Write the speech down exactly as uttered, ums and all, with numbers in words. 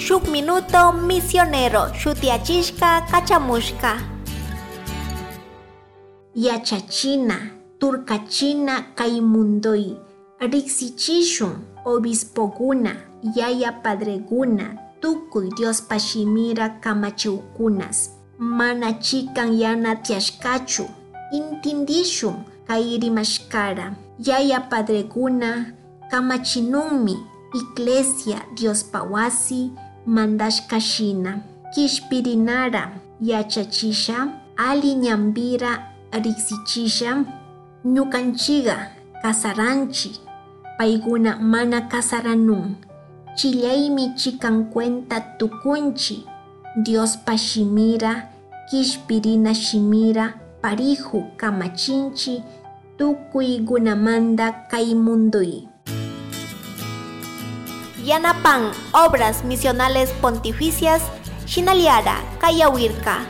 Shuk minuto misionero shutiyachishka kachamushka. Yachachina, turkachina kay mundoy. Riksichishun obispokuna, yaya padrekuna, tukuy Diospa shimira kamachiwkunas. Mana chikan yana tiyashkachu, intindishun kay rimashkara. Yaya padrekuna kamachinunmi iglesia Diospa wasi mandashka shina. Kishpirinara yachachisha, ali ñambira riksichisha. Ñukanchiga kasaranchi, payguna mana kasaranun. Chillaymi chikan cuenta tukunchi Diospa shimira, kishpirina shimira pariju kamachinchi tukuygunamanda kay mundoy. Yanapan Obras Misionales Pontificias shinallara kayawirka.